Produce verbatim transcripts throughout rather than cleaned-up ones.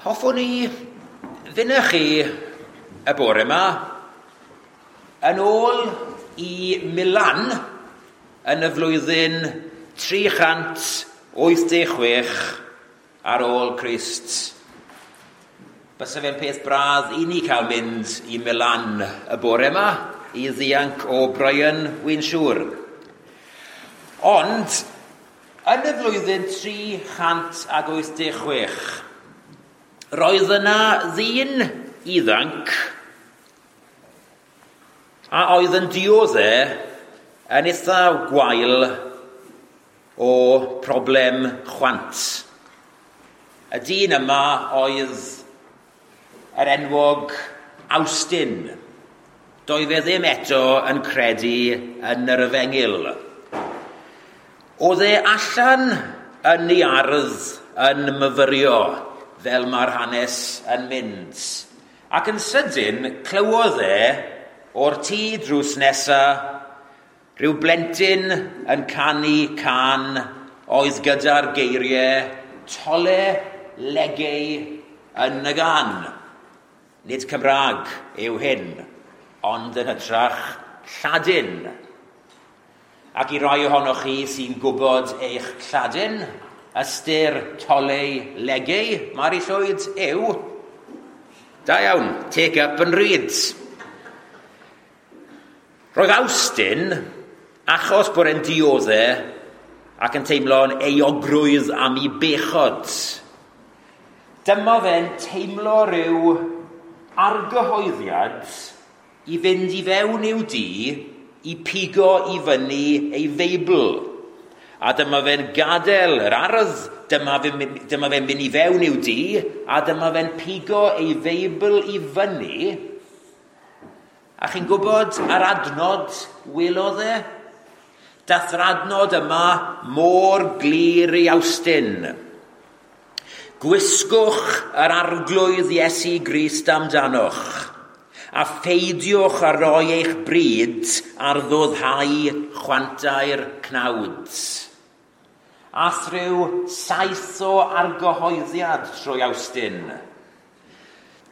Hoffwn i fynd chi y bore yma yn ôl i Milan yn y flwyddyn tri chant wyth deg chwech ar ôl Crist. Bysa fe'n peth braf i ni cael mynd i Milan y bore yma i ddianc o Brian, wy'n siŵr. Ond yn y flwyddyn tri chant ag wyth deg chwech, roedd yna ddyn ifanc a oedd yn diodde yn eitha gwael o problem chwant. Y dyn yma oedd yr enwog Awstin. Doedd e ddim eto yn credu yn yr efengyl. Oedd e allan yn ei ardd yn myfyrio, fel mae'r hanes yn mynd. Ac yn sydyn, clywodd e o'r tŷ drws nesa rhyw blentyn yn canu cân oedd gyda'r geiriau tole legei yn y gan. Nid Cymraeg yw hyn, ond yn hytrach Lladin. Ac i rai ohonoch chi sy'n gwybod eich Lladin, ystyr tole legei, Mari Llwyd, yw, da iawn, take up and read. Roedd Awstin, achos bod e'n diodde ac yn teimlo'n euogrwydd am ei bechod, dyma fe'n teimlo rhyw argyhoeddiad i fynd i fewn i'w dŷ i pigo i fyny ei Feibl. A dyma fe'n gadael yr ardd, dyma fe'n dyma fe'n mynd i fewn i'w dŷ, a dyma fe'n pigo ei Feibl i fyny. A chi'n gwybod yr adnod welodd e? Dath yr adnod yma mor glir i Awstin. Gwisgwch yr arglwydd Iesu Grist amdanoch, a pheidiwch â roi eich bryd ar ddoddhau chwantau'r cnawd. A thryw saith o argyhoeddiad trwy Awstin.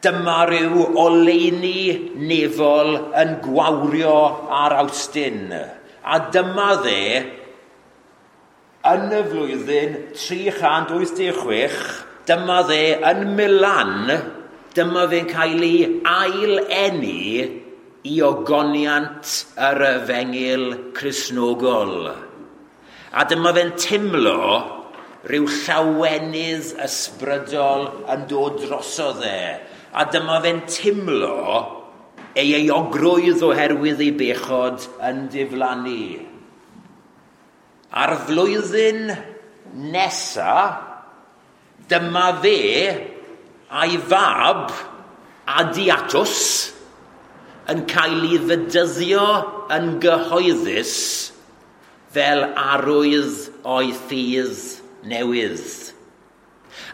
Dyma rhyw oleuni nefol yn gwawrio ar Awstin. A dyma dde, yn y flwyddyn tri chant wyth deg chwech, dyma dde yn Milan, dyma fe'n cael ei ail-eni i ogoniant yr efengyl Cristnogol. A dyma fe'n teimlo rhyw llawenydd ysbrydol yn dod drosodd e. A dyma fe'n teimlo ei euogrwydd oherwydd ei bechod yn diflannu. A'r flwyddyn nesa, dyma fe a'i fab Adiatus yn cael ei fedyddio yn gyhoeddus fel arwydd o'i ffydd newydd.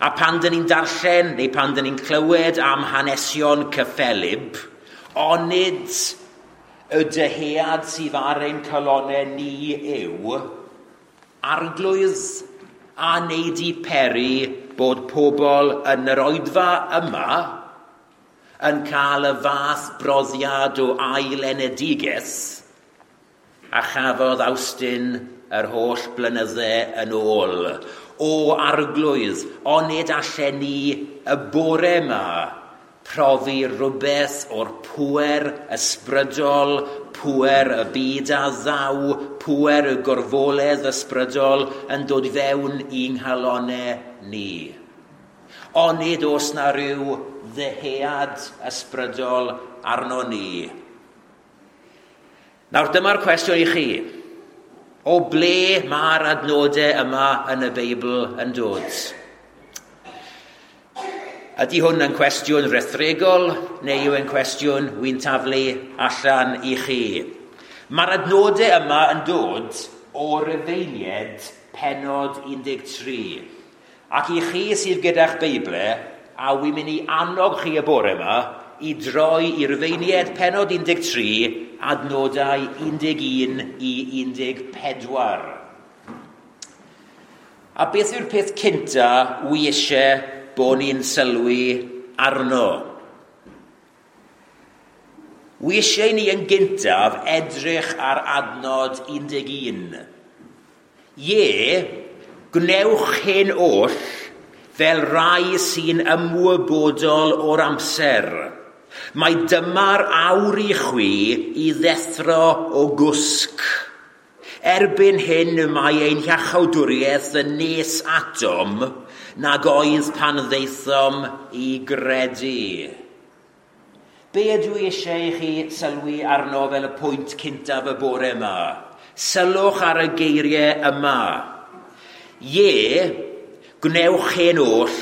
A pan dyn ni'n darllen neu pan dyn ni'n clywed am hanesion cyffelyb, onid y dyhead sydd ar ein calonnau ni yw arglwydd a wneud i peri bod pobl yn yr oedfa yma yn cael y fath brofiad o ailenedigaeth a chafodd Awstin yr holl blynydde yn ôl. O arglwydd, onid allen ni y bore yma profi rhywbeth o'r pŵer ysbrydol, pŵer y byd a ddaw, pŵer y gorfoledd ysbrydol yn dod fewn i'n nghalonnau ni. Onid oes na rhyw ddyhead ysbrydol arno ni. Nawr dyma'r cwestiwn i chi. O ble mae'r adnodau yma yn y Beibl yn dod? Ydy hwn yn cwestiwn rhethregol neu yw e'n cwestiwn wy'n taflu allan i chi? Mae'r adnodau yma yn dod o Rufeiniaid pennod un deg tri. Ac i chi sydd gyda'ch Beiblau, a wy'n mynd i annog chi y bore yma i droi i Rufeiniaid pennod un deg tri, adnodau un deg un i un deg pedwar. A beth yw'r peth cynta wy eisiau bod ni'n sylwi arno. Wi eisiau ni yn gyntaf edrych ar adnod un deg un. Ie, gwnewch hyn oll fel rai sy'n ymwybodol o'r amser. Mae dyma'r awr i chwi i ddethro o gwsg. Erbyn hyn mae ein hiachawdwriaeth yn nes atom nag oedd pan ddaethom i gredu. Be ydw i eisiau i chi sylwi arno fel y pwynt cyntaf y bore yma? Sylwch ar y geiriau yma. Ie, gwnewch hyn oll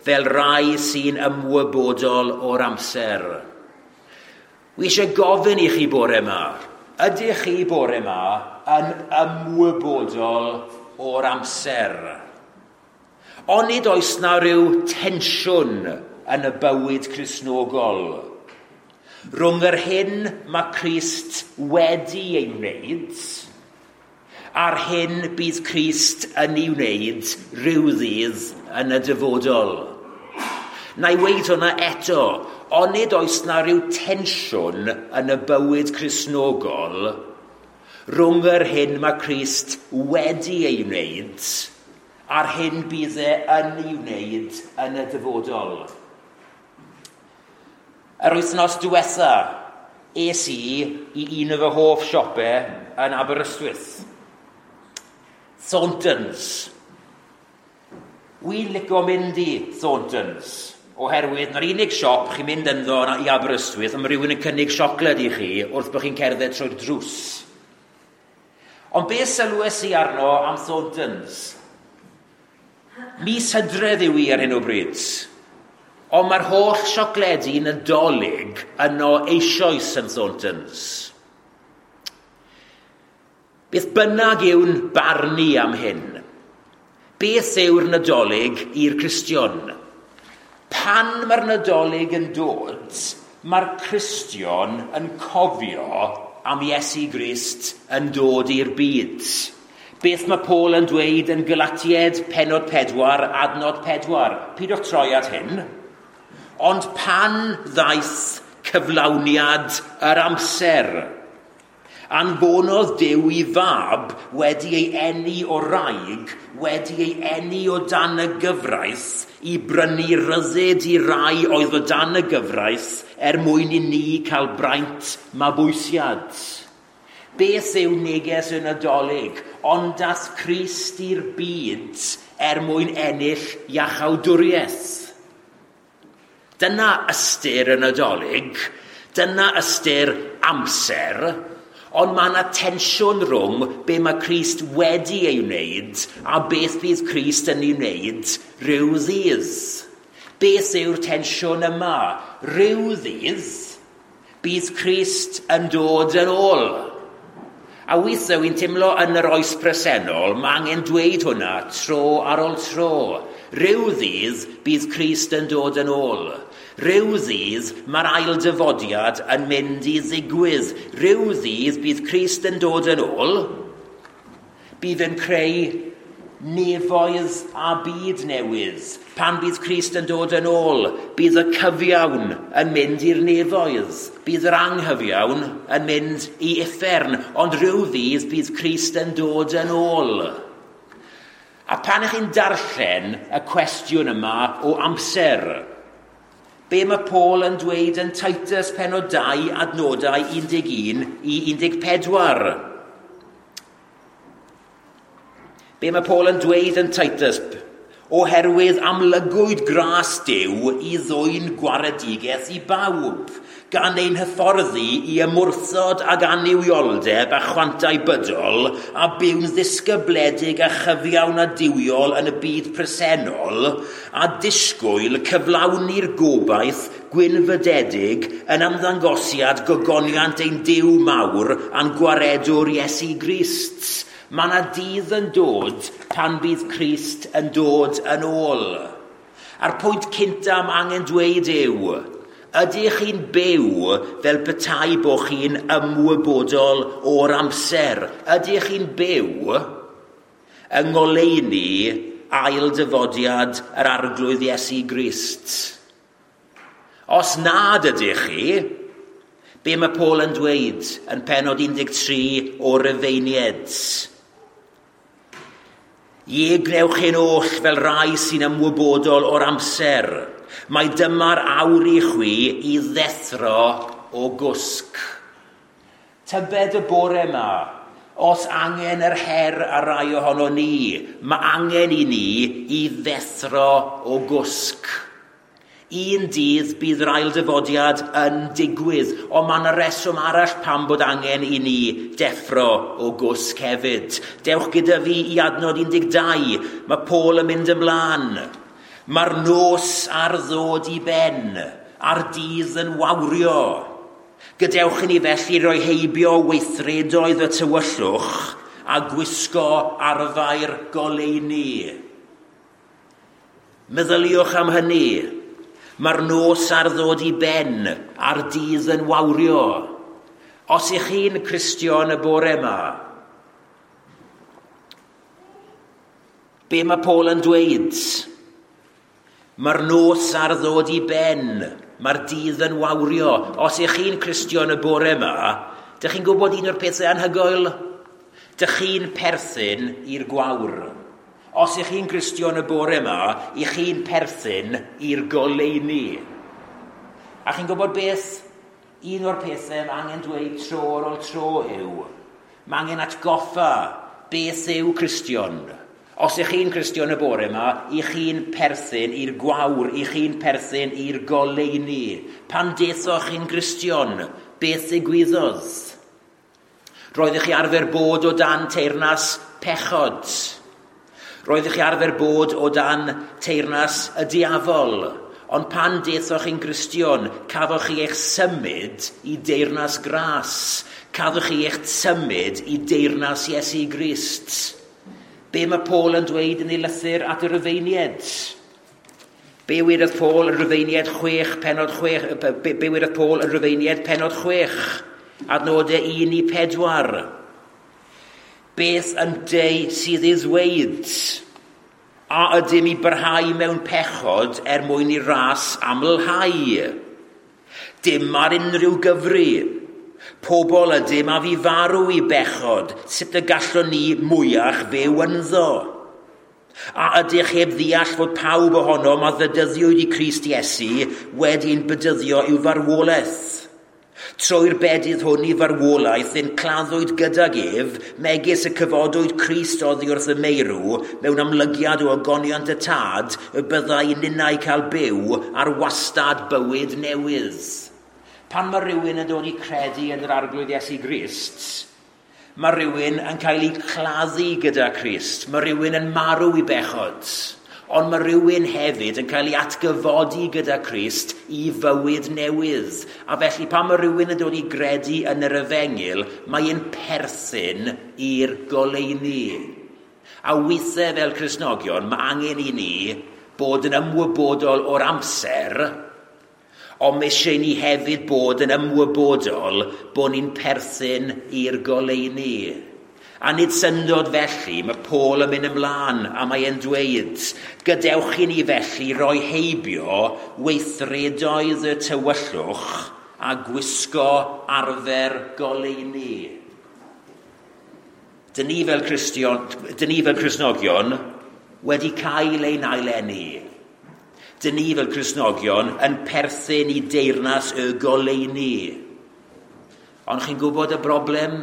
fel rai sy'n ymwybodol o'r amser. Wi eisiau gofyn i chi bore yma. Ydych chi bore yma yn ymwybodol o'r amser? Onid oes na ryw tensiwn yn y bywyd Cristnogol rhwng yr hyn mae Crist wedi ei wneud a'r hyn bydd Crist yn ei wneud rhyw ddydd yn y dyfodol? Na i weud hwnna eto, onid oes na ryw tensiwn yn y bywyd Cristnogol rhwng yr hyn mae Crist wedi ei wneud a'r hyn bydd e yn ei wneud yn y dyfodol? Yr wythnos diwetha, es i i un o fy hoff siopau yn Aberystwyth. Thorntons. Wi'n licio mynd i Thorntons, oherwydd na'r unig siop chi'n mynd ynddo i Aberystwyth, a mae rhywun yn cynnig siocled i chi wrth bod chi'n cerdded trwy'r drws. Ond beth sylwes i arno am Thorntons? Mis Hydref yw i ar hyn o bryd. Ond mae'r holl siocledi Nadolig yno eisoes yn Thorntons. Beth bynnag yw'n barnu am hyn? Beth yw'r Nadolig i'r Cristion? Pan mae'r Nadolig yn dod, mae'r Cristion yn cofio am Iesu Grist yn dod i'r byd. Beth mae Paul yn dweud yn Galatiaid pennod pedwar, adnod pedwar? Pidwch troi at hyn. Ond pan ddaeth cyflawniad yr amser, anfonodd Duw i fab wedi ei eni o wraig, wedi ei eni o dan y gyfraith, i brynu ryddid i rai oedd o dan y gyfraith er mwyn i ni cael braint mabwysiad. Beth yw neges y Nadolig? Ond dath Crist i'r byd er mwyn ennill iachawdwriaeth. Dyna ystyr y Nadolig, dyna ystyr amser, ond mae yna tensiwn rhwng be mae Crist wedi ei wneud a beth bydd Crist yn ei wneud rhyw ddydd. Beth yw'r tensiwn yma? Rhyw ddydd bydd Crist yn dod yn ôl. A weithiau wy'n teimlo yn yr oes presennol, mae angen dweud hwnna tro ar ôl tro. Rhyw ddydd bydd Crist yn dod yn ôl. Rhyw ddydd mae'r ail dyfodiad yn mynd i ddigwydd. Rhyw ddydd bydd Crist yn dod yn ôl. Bydd yn creu nefoedd a byd newydd. Pan bydd Crist yn dod yn ôl, bydd y cyfiawn yn mynd i'r nefoedd. Bydd yr anghyfiawn yn mynd i uffern. Ond rhyw ddydd bydd Crist yn dod yn ôl. A pan ych chi'n darllen y cwestiwn yma o amser, be mae Paul yn dweud yn Titus pennod dau adnodau un deg un i un deg pedwar? Be mae Paul yn dweud yn Titus? Oherwydd amlygwyd gras Duw i ddwyn gwaredigaeth i bawb, gan ein hyfforddi i ymwrthod ag annuwioldeb a chwantau bydol, a byw'n ddisgybledig a chyfiawn a duwiol yn y byd presennol, a disgwyl cyflawni'r gobaith gwynfydedig yn ymddangosiad gogoniant ein Duw mawr a'n gwaredwr Iesu Grist. Mae yna dydd yn dod pan bydd Crist yn dod yn ôl. A'r pwynt cynta mae angen dweud yw, ydych chi'n byw fel petai bod chi'n ymwybodol o'r amser? Ydych chi'n byw yng ngoleuni ail dyfodiad yr Arglwydd Iesu Grist? Os nad ydych chi, be mae Paul yn dweud yn pennod un deg tri o Rufeiniaid? Ie, gnewch hyn oll fel rai sy'n ymwybodol o'r amser. Mae dyma'r awr i chwi i ddethro o gwsg. Tybed y bore yma, os angen yr her ar rai ohono ni, mae angen i ni i ddethro o gwsg. Un dydd bydd yr ailddyfodiad yn digwydd, ond mae yna reswm arall pam bod angen i ni deffro o gwsg hefyd. Dewch gyda fi i adnod un deg dau, mae Paul yn mynd ymlaen. Mae'r nos ar ddod i ben, a'r dydd yn wawrio. Gadewch i ni felly roi heibio weithredoedd y tywyllwch a gwisgo arfau'r goleuni. Meddyliwch am hynny. Mae'r nos ar ddod i ben, a'r dydd yn wawrio. Os ych chi'n Cristion y bore yma, be mae Paul yn dweud? Mae'r nos ar ddod i ben, mae'r dydd yn wawrio. Os ych chi'n Cristion y bore yma, dych chi'n gwybod un o'r pethau anhygoel? Dych chi'n perthyn i'r gwawr. Os ych chi'n Gristion y bore yma, ych chi'n perthyn i'r goleuni. A chi'n gwybod beth? Un o'r pethau mae angen dweud tro ar ôl tro yw, mae angen atgoffa beth yw Cristion. Os ych chi'n Gristion y bore yma, ych chi'n perthyn i'r gwawr, ych chi'n perthyn i'r goleuni. Pan dethoch chi'n Gristion, beth ddigwyddodd? Roeddech chi arfer bod o dan teyrnas pechod. Roeddech chi arfer bod o dan teyrnas y diafol, ond pan dethoch chi'n Gristion, cafoch chi eich symud i deyrnas gras, cafoch chi eich symud i deyrnas Iesu Grist. Be mae Paul yn dweud yn ei lythyr at y Rufeiniaid? Be wedodd Paul yn Rufeiniaid chwech, pennod chwech, be, be wedodd Paul yn Rufeiniaid pennod chwech, adnodau un i pedwar? Beth ynteu sydd ei ddweud? A ydym i barhau mewn pechod er mwyn i ras amlhau? Dim ar unrhyw gyfri. Pobl ydym a fi farw i bechod, sut y gallwn ni mwyach fyw ynddo? A ydych heb ddeall fod pawb ohonom a ddedyddiwyd i Crist Iesu wedi'n bedyddio i'w farwolaeth? Trwy'r bedydd hwn i farwolaeth yn claddwyd gydag ef, megis y cyfodwyd Crist oddi wrth y meirw, mewn amlygiad o ogoniant y tad, y byddai ninnau cael byw ar wastad bywyd newydd. Pan mae rhywun yn dod i credu yn yr Arglwydd Iesu Grist, mae rhywun yn cael ei claddu gyda Crist, mae rhywun yn marw i bechod, ond mae rhywun hefyd yn cael ei atgyfodi gyda Crist i fywyd newydd. A felly pan mae rhywun yn dod i gredu yn yr efengyl, mae'n perthyn i'r goleuni. A weithiau fel Cristnogion, mae angen i ni bod yn ymwybodol o'r amser, ond mae eisiau ni hefyd bod yn ymwybodol bod ni'n perthyn i'r goleuni. A nid syndod felly, mae Paul yn mynd ymlaen a mae e'n dweud, gadewch i ni felly roi heibio weithredoedd y tywyllwch a gwisgo arfer goleuni. Dyn ni fel Cristion, dyn ni fel Cristnogion wedi cael ein aileni. Dyn ni fel Cristnogion yn perthyn i deyrnas y goleuni. Ond chi'n gwybod y broblem?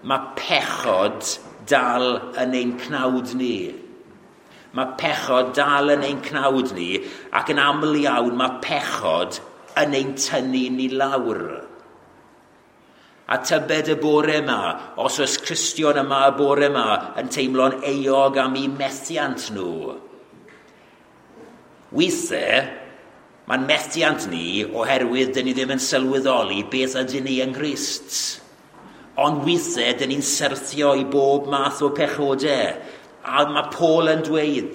Mae pechod dal yn ein cnawd ni. Mae pechod dal yn ein cnawd ni, ac yn aml iawn mae pechod yn ein tynnu ni lawr. A tybed y bore yma, os oes Cristion yma y bore yma yn teimlo'n euog am eu methiant nhw. Weithiau, mae'n methiant ni oherwydd dyn ni ddim yn sylweddoli beth ydyn ni yng Nghrist. Ond weithiau, dyn ni'n syrthio i bob math o pechodau. A mae Paul yn dweud,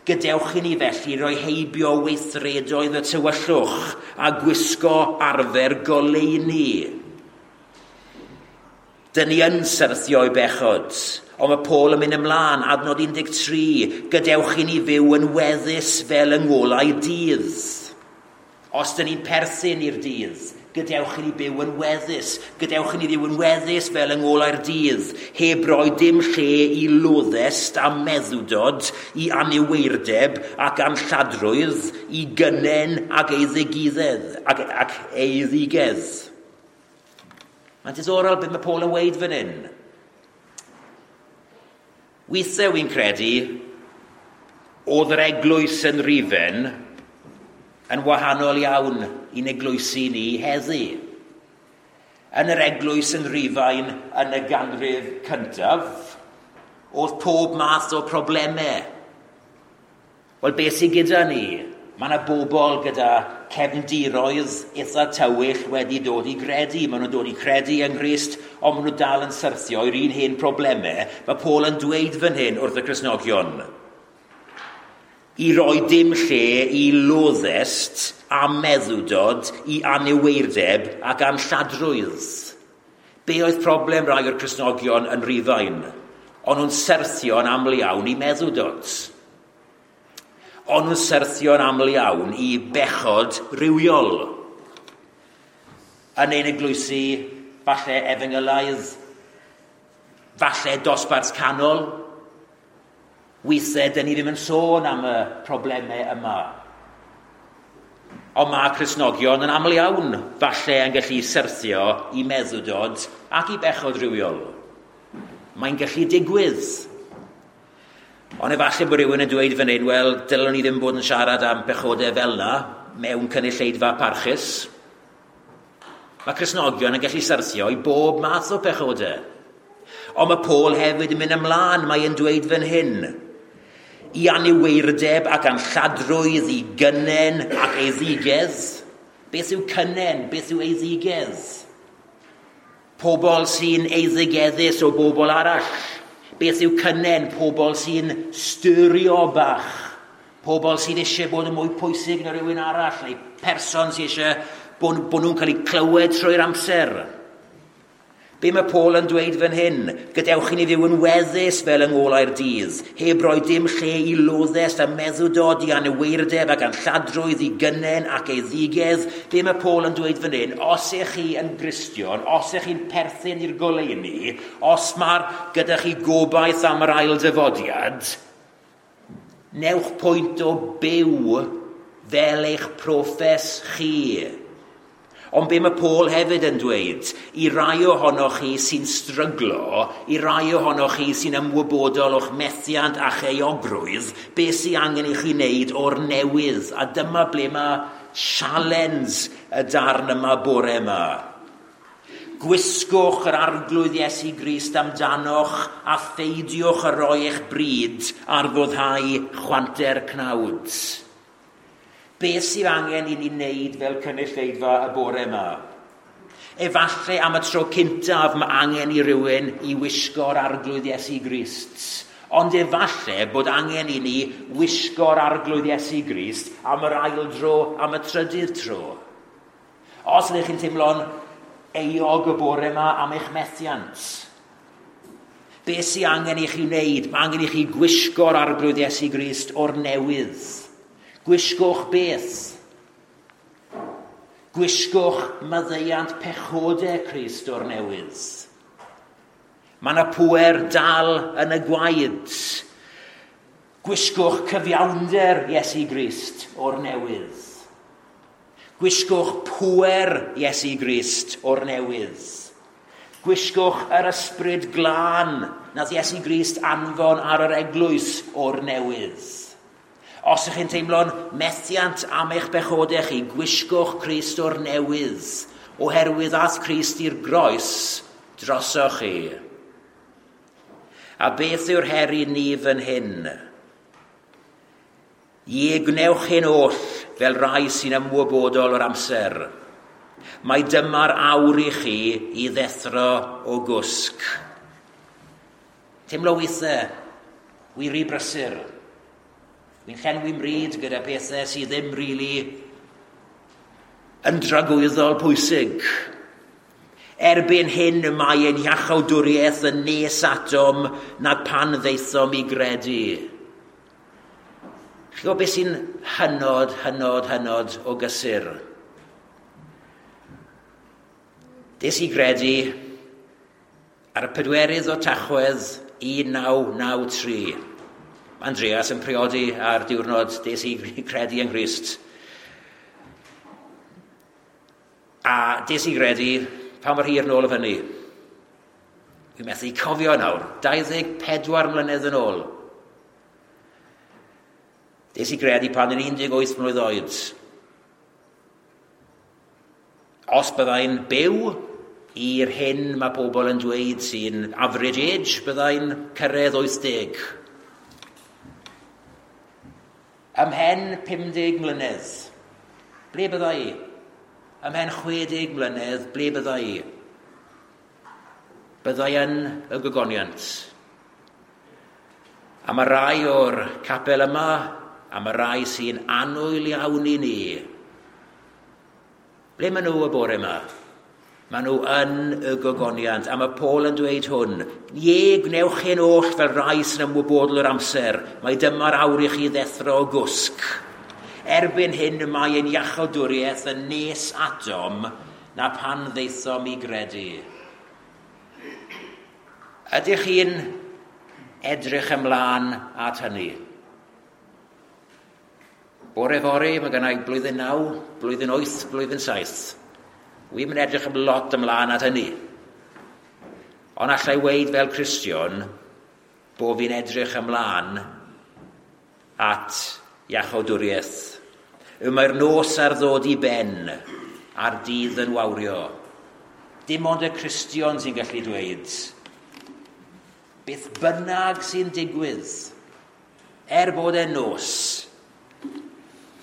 gadewch i ni felly roi heibio weithredoedd y tywyllwch a gwisgo arfer goleuni. Dyn ni yn syrthio i bechod, Ond mae Paul yn mynd ymlaen, adnod un deg tri, gadewch i ni fyw yn weddus fel yng ngolau dydd. Os dyn ni'n perthyn i'r dydd, gadewch i ni byw yn weddus. Gadewch i ni fyw yn weddus fel yng ngolau'r dydd, heb roi dim lle i loddest a meddwdod, i aniweirdeb ac anlladrwydd, i gynnen ac eiddigiddedd, ac, ac eiddigedd. Mae'n diddorol beth mae Paul yn weud fan hyn. Weithiau wy'n credu, oedd yr eglwys yn Rufain yn wahanol iawn i'n eglwysi ni heddi. Yn yr eglwys yn Rufain yn y ganrif cyntaf, oedd pob math o problemau. Wel, beth sydd gyda ni? Mae yna bobl gyda cefndiroedd eitha tywyll wedi dod i gredu. Maen nhw'n dod i credu yng Nghrist, ond maen nhw dal yn syrthio i'r un hen problemau. Mae Paul yn dweud fan hyn wrth y Cristnogion. I roi dim lle i loddest a meddwdod, i aniweirdeb ac anlladrwydd. Be oedd problem rai o'r Cristnogion yn Rufain? O'n nhw'n syrthio'n aml iawn i meddwdod. O'n nhw'n syrthio'n aml iawn i bechod rhywiol. Yn ein eglwysi, falle efengylaidd, falle dosbarth canol, weithiau, dyn ni ddim yn sôn am y problemau yma. Ond mae Cristnogion yn aml iawn, falle yn gallu syrthio i meddwdod ac i bechod rhywiol. Mae'n gallu digwydd. Ond efallai bod rhywun yn dweud fan hyn, wel, dylwn ni ddim bod yn siarad am bechodau fel yna mewn cynulleidfa parchus. Mae Cristnogion yn gallu syrthio i bob math o pechodau. Ond mae Paul hefyd yn mynd ymlaen, mae e'n dweud fan hyn. I aniweirdeb ac anlladrwydd, i gynnen ac eiddigedd. Beth yw cynnen? Beth yw eiddigedd? Pobl sy'n eiddigeddus o bobl arall. Beth yw cynnen? Pobl sy'n styrio bach. Pobl sydd eisiau bod yn mwy pwysig na rhywun arall, neu person sydd eisiau bod, bod nhw'n cael eu clywed trwy'r amser. Be mae Paul yn dweud fan hyn? Gadewch i ni fyw yn weddus fel yng ngolau'r dydd, heb roi dim lle i loddest a meddwdod, i aniweirdeb ac anlladrwydd, i gynnen ac eiddigedd. Be mae Paul yn dweud fan hyn? Os ych chi yn Gristion, os ych chi'n perthyn i'r goleuni, os mae'r gyda chi gobaith am yr ail dyfodiad, newch pwynt o byw fel eich proffes chi. Ond be mae Paul hefyd yn dweud, i rai ohonoch chi sy'n stryglo, i rai ohonoch chi sy'n ymwybodol o'ch methiant a'ch euogrwydd, be sy'n angen i chi wneud o'r newydd? A dyma ble mae sialens y darn yma bore yma. Gwisgwch yr Arglwydd Iesu Grist amdanoch a pheidiwch a roi eich bryd ar foddhau chwanter cnawd. Beth sydd angen i ni wneud fel cynulleidfa y bore yma? Efallai am y tro cyntaf mae angen i rywun i wisgo'r Arglwydd Iesu Grist. Ond efallai bod angen i ni wisgo'r Arglwydd Iesu Grist am yr ail dro, am y trydydd tro. Os ydych chi'n teimlo'n euog y bore yma am eich methiant, beth sydd angen i chi wneud? Mae angen i chi gwisgo'r Arglwydd Iesu Grist o'r newydd. Gwisgwch beth? Gwisgwch maddeuant pechodau Crist o'r newydd. Mae yna pŵer dal yn y gwaed. Gwisgwch cyfiawnder Iesu Grist o'r newydd. Gwisgwch pŵer Iesu Grist o'r newydd. Gwisgwch yr ysbryd glân nath Iesu Grist anfon ar yr eglwys o'r newydd. Os ydych chi'n teimlo'n methiant am eich bechodau chi, gwisgwch Crist o'r newydd, oherwydd ath Crist i'r groes drosoch chi. A beth yw'r her i ni fan hyn? Ie, gwnewch hyn oll fel rai sy'n ymwybodol o'r amser. Mae dyma'r awr i chi i ddethro o gwsg. Teimlo weithiau, wi rhy brysur. Wy'n llenwi mryd gyda pethau sydd ddim rili yn dragwyddol pwysig. Erbyn hyn mae ein iachawdwriaeth yn nes atom nag pan ddaethom i gredu. Chi'n gwybod beth sy'n hynod, hynod, hynod o gysur? Des i gredu ar y pedwerydd o Tachwedd un naw naw tri. Andreas yn priodi ar diwrnod des i credu yng Nghrist. A des i gredu pa mor hir nôl o fyny. Dwi'n methu cofio nawr, dau ddeg pedwar mlynedd yn ôl. Des i gredu pan yn un deg wyth mlwydd oed. Os byddai'n byw i'r hyn mae pobl yn dweud sy'n average age, byddai'n cyrraedd wyth deg. Ymhen pum deg mlynedd, ble byddai i? Ymhen chwe deg mlynedd, ble byddai i? Byddai yn y gogoniant. A mae rai o'r capel yma, a mae rai sy'n annwyl iawn i ni. Ble maen nhw y bore yma? Maen nhw yn y gogoniant. A mae Paul yn dweud hwn, ie, gwnewch hyn oll fel rai sy'n ymwybodol o'r amser. Mae dyma'r awr i chi ddethro o gwsg. Erbyn hyn mae ein iachawdwriaeth yn nes atom na pan ddaethom i gredu. Ydych chi'n edrych ymlaen at hynny? Bore fory, mae gennau blwyddyn naw, blwyddyn wyth, blwyddyn saith. Wi'm yn edrych am lot ymlaen at hynny. Ond allai weud fel Cristion bo fi'n edrych ymlaen at iachawdwriaeth. Y mae'r nos ar ddod i ben a'r dydd yn wawrio. Dim ond y Cristion sy'n gallu dweud, beth bynnag sy'n digwydd, er bod e'n nos,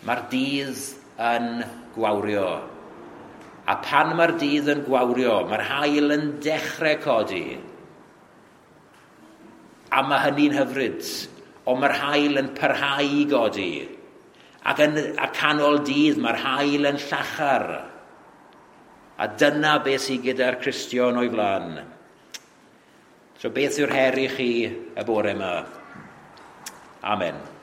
mae'r dydd yn gwawrio. A pan mae'r dydd yn gwawrio, mae'r haul yn dechrau codi. A mae hynny'n hyfryd, ond mae'r haul yn parhau i godi. Ac yn y canol dydd, mae'r haul yn llachar. A dyna beth sydd gyda'r Cristion o'i flaen. So beth yw'r her i chi y bore yma? Amen.